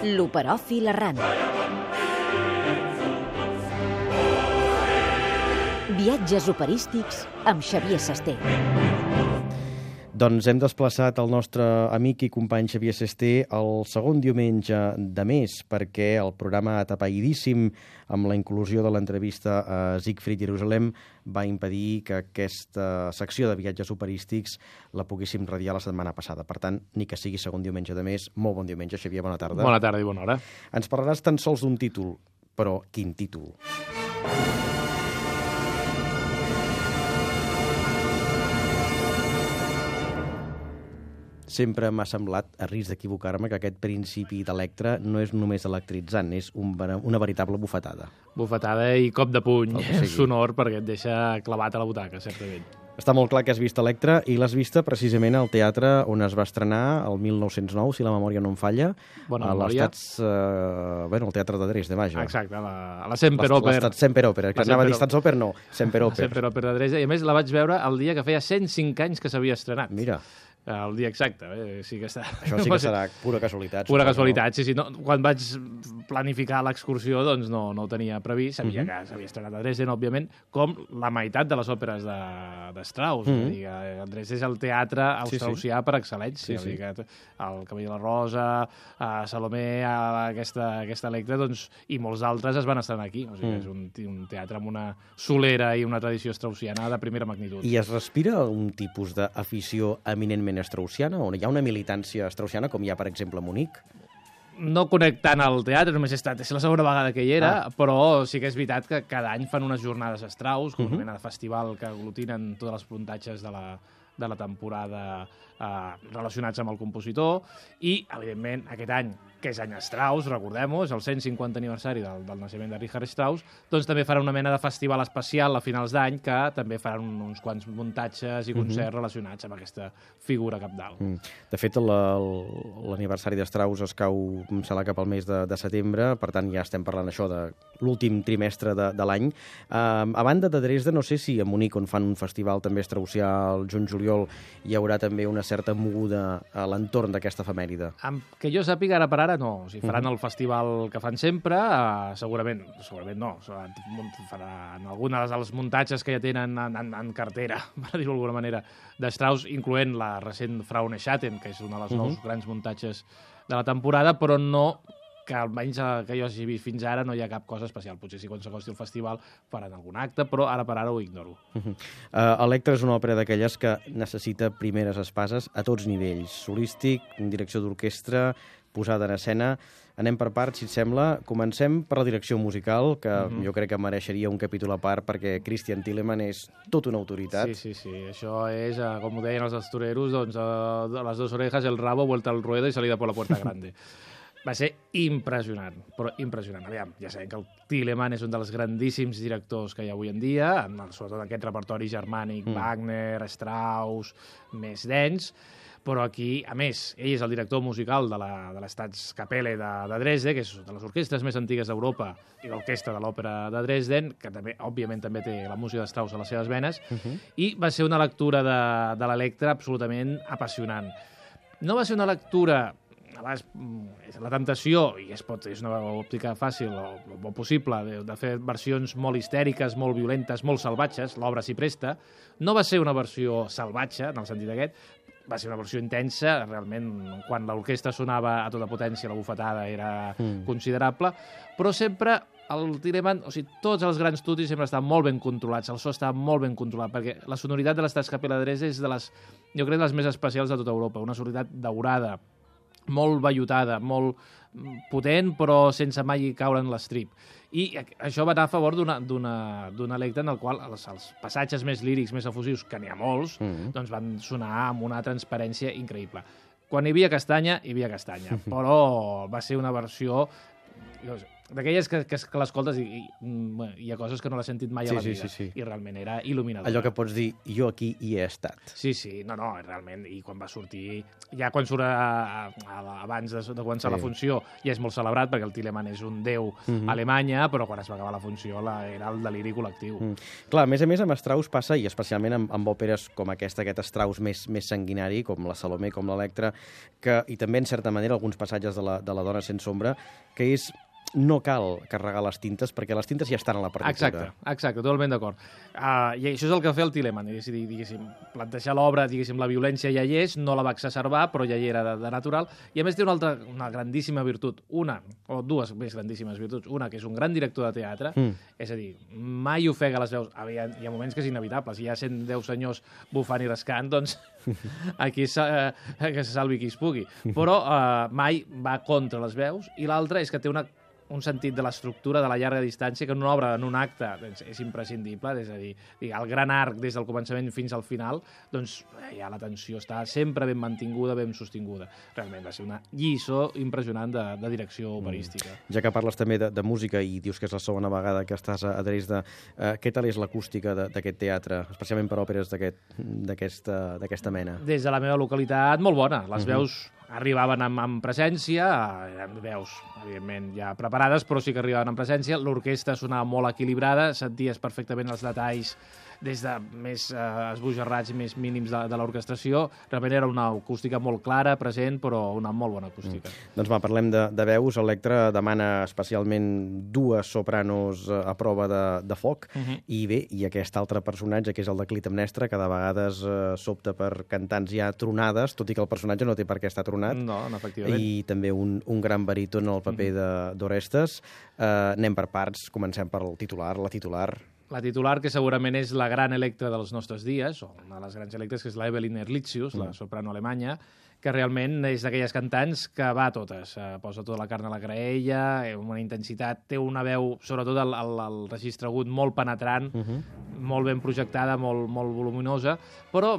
L'Operòfil errant. Viatges operístics amb Xavier Sesté. Doncs hem desplaçat el nostre amic i company Xavier Sesté el segon diumenge de mes, perquè el programa atapeïdíssim amb la inclusió de l'entrevista a Siegfried Jerusalem va impedir que aquesta secció de viatges operístics la poguéssim radiar la setmana passada. Per tant, ni que sigui segon diumenge de mes, molt bon diumenge, Xavier, bona tarda. Bona tarda i bona hora. Ens parlaràs tan sols d'un títol, però quin títol? Sempre m'ha semblat, a risc d'equivocar-me, que aquest principi d'Electra no és només electritzant, és una veritable bufetada. Bufetada i cop de puny Sí. sonor perquè et deixa clavat a la butaca, certament. Està molt clar que has vist Electra i l'has vista precisament al teatre on es va estrenar el 1909, si la memòria no em falla. Bona memòria. El teatre de Dresde, vaja. Exacte, a la Semperoper. L'estat Semperoper, que anava a dir Statsoper, no, Semperoper. Semperoper de Dresde. I a més la vaig veure el dia que feia 105 anys que s'havia estrenat. Mira, El dia exacte. Sí que està... això sí que serà pura casualitat. Pura suposo, casualitat, sí. No, quan vaig planificar l'excursió, doncs no ho tenia previst. Sabia que s'havia estrenat a Dresden, òbviament, com la meitat de les òperes de Strauss. És a dir, que Dresden és el teatre austraussià per excel·lència. Sí. Que el Cavall de la Rosa, Salomé, aquesta Electra, doncs, i molts altres es van estrenar aquí. O sigui, és un teatre amb una solera i una tradició straussiana de primera magnitud. I es respira un tipus d'afició eminentment straussiana, on hi ha una militància straussiana, com hi ha, per exemple, a Munic? No conec tant al teatre, només és la segona vegada que hi era, però sí que és veritat que cada any fan unes jornades Strauss, com una mena de festival que aglutinen tots els puntatges de la temporada relacionats amb el compositor, i, evidentment, aquest any, que és any Strauss, recordem-ho, és el 150 aniversari del naixement de Richard Strauss, doncs també faran una mena de festival especial a finals d'any que també faran uns quants muntatges i concerts relacionats amb aquesta figura capdalt. De fet, l'aniversari de Strauss es cau, em sembla, cap al mes de setembre, per tant ja estem parlant això de l'últim trimestre de l'any. A banda de Dresden, no sé si a Munic, on fan un festival també straussià el juny-juliol, hi haurà també una certa moguda a l'entorn d'aquesta efemèride. Que jo sàpiga, ara per ara, no. O sigui, faran el festival que fan sempre, segurament no. Faran algunes dels muntatges que ja tenen en cartera, per dir-ho d'alguna manera, de Strauss, incloent la recent Fraune Schatten, que és un dels nous grans muntatges de la temporada, però no, que almenys que jo hagi vist fins ara no hi ha cap cosa especial. Potser si quan s'acosti el festival faran algun acte, però ara per ara ho ignoro. Electra és una òpera d'aquelles que necessita primeres espases a tots nivells. Solístic, direcció d'orquestra, posada en escena. Anem per parts, si et sembla. Comencem per la direcció musical, que jo crec que mereixeria un capítol a part, perquè Christian Thielemann és tota una autoritat. Sí. Això és, com ho deien els astureros, doncs, a les dos orejas, el rabo, vuelta al ruedo i salida por la puerta grande. Va ser impressionant, però impressionant. Aviam, ja sabem que el Thielemann és un dels grandíssims directors que hi ha avui en dia, sobretot aquest repertori germànic, Wagner, Strauss, més dens, però aquí, a més, ell és el director musical de l'Staatskapelle de Dresde, que és de les orquestres més antigues d'Europa i l'orquestra de l'òpera de Dresden, que també, òbviament, també té la música de Strauss a les seves venes, i va ser una lectura de l'Electra absolutament apassionant. No va ser una lectura... La temptació, i és una òptica fàcil o possible, de fer versions molt histèriques, molt violentes, molt salvatges, l'obra s'hi presta. No va ser una versió salvatge, en el sentit aquest, va ser una versió intensa, realment, quan l'orquestra sonava a tota potència, la bufetada era considerable, però sempre el Thielemann, o sigui, tots els grans estudis sempre estan molt ben controlats, el so està molt ben controlat, perquè la sonoritat de l'Staatskapelle de Dresde és jo crec, de les més especials de tota Europa, una sonoritat daurada, molt vellutada, molt potent, però sense mai caure en l'estrip. I això va anar a favor d'una Electra en el qual els passatges més lírics, més efusius, que n'hi ha molts, doncs van sonar amb una transparència increïble. Quan hi havia castanya, però va ser una versió d'aquelles que l'escoltes i hi ha coses que no l'he sentit mai a la vida. Sí. I realment era il·luminadora. Allò que pots dir, jo aquí hi he estat. Sí, no, realment. I quan va sortir, ja quan surt a abans de començar la funció ja és molt celebrat, perquè el Telemann és un déu a Alemanya, però quan es va acabar la funció era el deliri col·lectiu. Clar, a més amb Strauss passa, i especialment amb òperes com aquest Strauss més sanguinari, com la Salomé, com l'Electra, i també, en certa manera, alguns passatges de la Dona sense ombra, que és no cal carregar les tintes, perquè les tintes ja estan a la partitura. Exacte, totalment d'acord. I això és el que va fer el Telemann, diguéssim, plantejar l'obra, diguéssim, la violència ja hi és, no la va exacerbar, però ja hi era de natural, i a més té una grandíssima virtut, dues més grandíssimes virtuts, una que és un gran director de teatre, és a dir, mai ofega les veus, hi ha moments que és inevitable, si hi ha 110 senyors bufant i rascant, doncs aquí que se salvi qui es pugui, però mai va contra les veus, i l'altra és que té un sentit de l'estructura de la llarga distància que en una obra, en un acte, doncs, és imprescindible, és a dir, el gran arc des del començament fins al final, doncs ja la tensió està sempre ben mantinguda, ben sostinguda. Realment va ser una lliçó impressionant de direcció operística. Ja que parles també de música i dius que és la segona vegada que estàs a Dresda, què tal és l'acústica d'aquest teatre, especialment per òperes d'aquesta mena? Des de la meva localitat, molt bona. Les veus arribaven amb presència, eren veus, evidentment, ja preparades, però sí que arribaven amb presència. L'orquestra sonava molt equilibrada, senties perfectament els detalls des de més esbojarrats i més mínims de l'orquestració. Realment era una acústica molt clara, present, però una molt bona acústica. Doncs parlem de veus. Electra demana especialment dues sopranos a prova de foc, i bé, i aquest altre personatge, que és el de Clitemnestra, que de vegades s'opta per cantants ja tronades, tot i que el personatge no té per què estar tronat. No, efectivament. I també un gran baríton al paper d'Orestes. Anem per parts, comencem per la titular. La titular, que segurament és la gran Electra dels nostres dies, o una de les grans Electres, que és la Evelyn Erlitzius, la soprano alemanya, que realment és d'aquelles cantants que va a totes. Posa tota la carn a la graella, amb una intensitat, té una veu, sobretot el registre agut, molt penetrant, molt ben projectada, molt voluminosa, però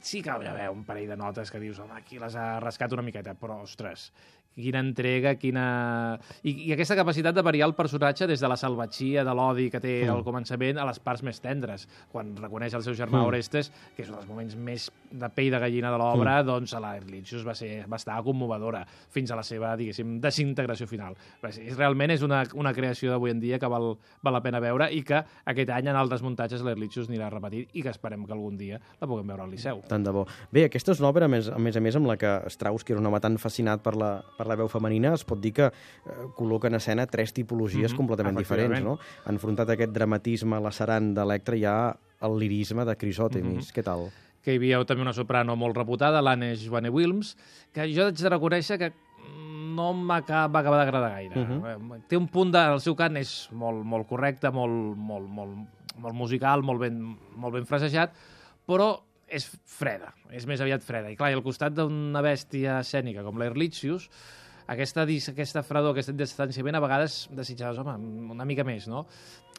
sí que hi ha un parell de notes que dius, home, aquí les ha rascat una miqueta, però, ostres, quina entrega, I aquesta capacitat de variar el personatge des de la salvatgia, de l'odi que té al començament, a les parts més tendres. Quan reconeix el seu germà Orestes, que és un dels moments més de pell de gallina de l'obra, doncs a la Erlitzius va estar commovedora fins a la seva, diguéssim, desintegració final. Realment és una creació d'avui en dia que val la pena veure, i que aquest any en altres muntatges l'Erlitzius anirà repetit, i que esperem que algun dia la puguem veure al Liceu. Tant de bo. Bé, aquesta és una obra, a més a més, amb la que Strauss, que era un home tan fascinat per la veu femenina, es pot dir que col·loca en escena tres tipologies completament diferents, no? Enfrontat a aquest dramatisme lacerant d'Electra, hi ha el lirisme de Crisòtemis. Què tal? Que hi havia també una soprano molt reputada, l'Anne Joanne-Wilms, que jo haig de reconèixer que no va acabar d'agradar gaire. Té un punt el seu cant és molt correcte, molt musical, molt ben frasejat, però és freda, és més aviat freda. I clar, al costat d'una bèstia escènica com l'Erlitzius, aquesta fredor, aquest distanciament, a vegades desitjaves, home, una mica més, no?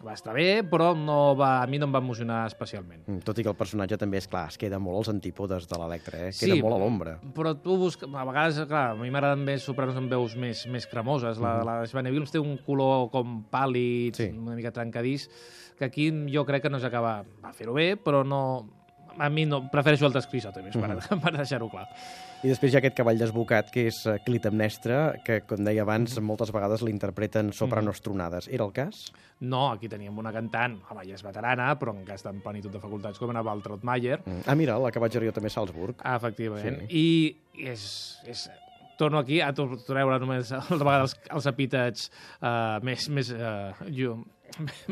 Va estar bé, però a mi no em va emocionar especialment. Tot i que el personatge també, és clar, es queda molt als antípodes de l'Electra, queda molt a l'ombra. Però tu busques... A vegades, clar, a mi m'agraden més sopranos amb veus més cremoses. La Joanne-Wilms té un color com pàl·lid, una mica trencadís, que aquí jo crec que no s'acaba... Va fer-ho bé, però no... A mi no, prefereixo altres Crisòtemis, per deixar-ho clar. I després hi ha aquest cavall desbocat, que és Clitemnestra, que, com deia abans, moltes vegades l'interpreten sopranos tronades. Era el cas? No, aquí teníem una cantant, home, ja és veterana, però encara està en plenitud de facultats, com era Waltraud Mayer. Mira, la que vaig veure jo també a Salzburg. Efectivament. Sí. I torno aquí a treure només a vegades els epítets més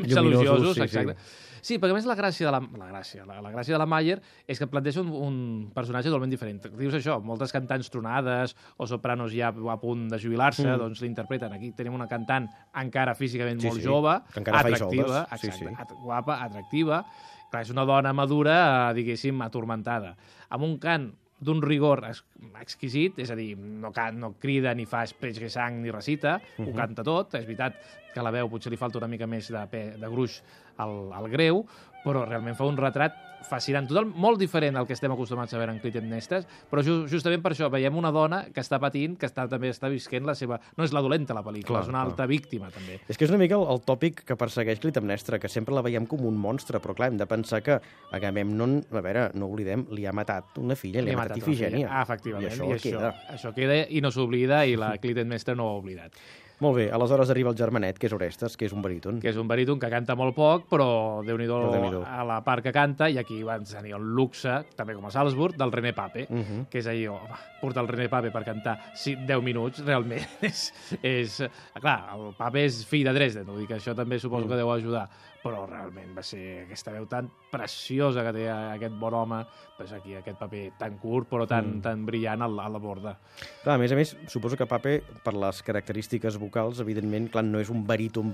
elogiosos, exacte. Sí, perquè a més la gràcia de la Mayer és que planteja un personatge totalment diferent. Dius això, moltes cantants tronades o sopranos ja a punt de jubilar-se, doncs l'interpreten. Aquí tenim una cantant encara físicament molt jove, atractiva, guapa, atractiva. Clar, és una dona madura, diguéssim, atormentada. Amb un cant d'un rigor exquisit, és a dir, no crida ni fa espreig de sang ni recita, ho canta tot. És veritat que la veu potser li falta una mica més de gruix al greu, però realment fa un retrat fascinant, total, molt diferent al que estem acostumats a veure en Clitemnestra, però justament per això veiem una dona que està patint, que també està visquent la seva... No és la dolenta, la pel·lícula, és una altra víctima, també. És que és una mica el tòpic que persegueix Clitemnestra, que sempre la veiem com un monstre, però clar, hem de pensar que Agamèmnon, a veure, no oblidem, li ha matat una filla, li ha matat Ifigènia. Efectivament, I això queda i no s'oblida, i la Clitemnestra no ho ha oblidat. Molt bé, aleshores arriba el germanet, que és Orestes, que és un baríton. Que és un baríton que canta molt poc, però Déu-n'hi-do a la part que canta, i aquí van tenir el luxe, també com a Salzburg, del René Pape, que és allò, portar el René Pape per cantar 10 minuts, realment és... Clar, el Pape és fill de Dresden, vull dir que això també suposo que deu ajudar, però realment va ser aquesta veu tan preciosa que té aquest bon home, doncs aquí aquest paper tan curt però tan brillant a la borda. Clar, a més, suposo que Pape, per les característiques vocals, evidentment, clar, no és un baríton,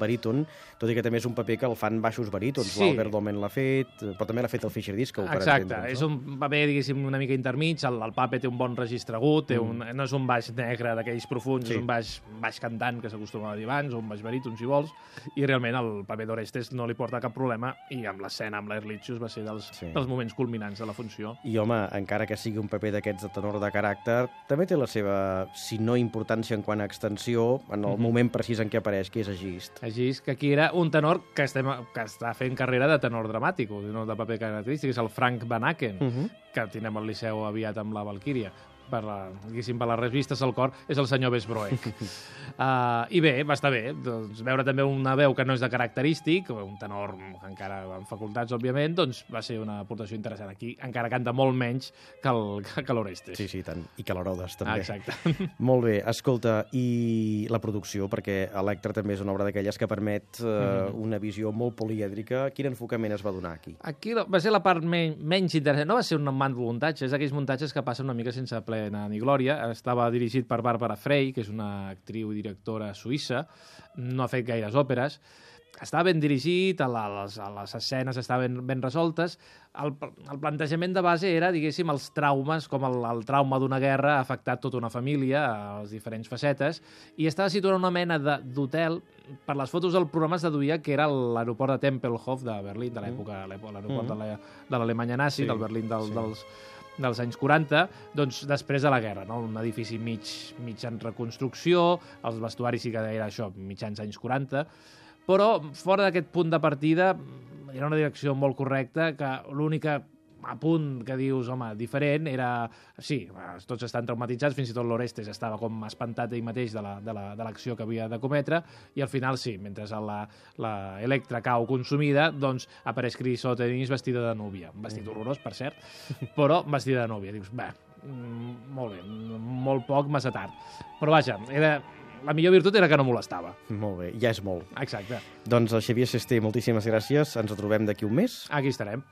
tot i que també és un paper que el fan baixos barítons. Sí. L'Albert Domen l'ha fet, però també l'ha fet el Fischer Disco. Exacte, és un paper, diguéssim, una mica intermig, el Pape té un bon registre agut, no és un baix negre d'aquells profuns, és un baix cantant que s'acostuma a dir abans, o un baix baríton, si vols, i realment el paper d'Orestes no li porta cap problema, i amb l'escena amb l'Ehrlichius va ser dels moments culminants de la funció. I home, encara que sigui un paper d'aquests de tenor de caràcter, també té la seva, si no importància en quant a extensió, en el moment precís en què apareix, que és Egist. Egist, que aquí era un tenor que està fent carrera de tenor dramàtic, no de paper característic, és el Frank Van Aken, que tindrem al Liceu aviat amb la Valquíria. Per les revistes al cor, és el senyor Besbroek. I bé, va estar bé. Doncs, veure també una veu que no és de característic, un tenor encara amb facultats, òbviament, doncs va ser una aportació interessant. Aquí encara canta molt menys que l'Orestes. Sí, tant. I que l'Herodes, també. Exacte. Molt bé. Escolta, i la producció, perquè Electra també és una obra d'aquelles que permet una visió molt polièdrica. Quin enfocament es va donar aquí? Aquí va ser la part menys interessant. No va ser un muntatge, és d'aquells muntatges que passen una mica sense plena ni glòria. Estava dirigit per Barbara Frey, que és una actriu i directora suïssa, no ha fet gaires òperes, estava ben dirigit, les escenes estaven ben resoltes. El plantejament de base era, diguéssim, els traumes, com el trauma d'una guerra ha afectat tota una família, a les diferents facetes, i estava situat en una mena d'hotel. Per les fotos del programa es deduïa que era l'aeroport de Tempelhof de Berlín, de l'època, l'aeroport de l'Alemanya nazi, del Berlín dels anys 40, doncs després de la guerra, no? Un edifici mig en reconstrucció, els vestuaris sí que era això, mitjans anys 40, però fora d'aquest punt de partida era una direcció molt correcta, que l'única apunt que dius, home, diferent, era... Sí, tots estan traumatitzats, fins i tot l'Orestes estava com espantat ell mateix de l'acció que havia de cometre, i al final sí, mentre la Electra cau consumida, doncs apareix Crisòtemis vestida de núvia. Un vestit horrorós, per cert, però vestida de núvia. Dius, bé, molt bé, molt poc, massa tard. Però vaja, la millor virtut era que no molestava. Molt bé, ja és molt. Exacte. Doncs el Xavier Sesté, moltíssimes gràcies. Ens trobem d'aquí un mes. Aquí estarem.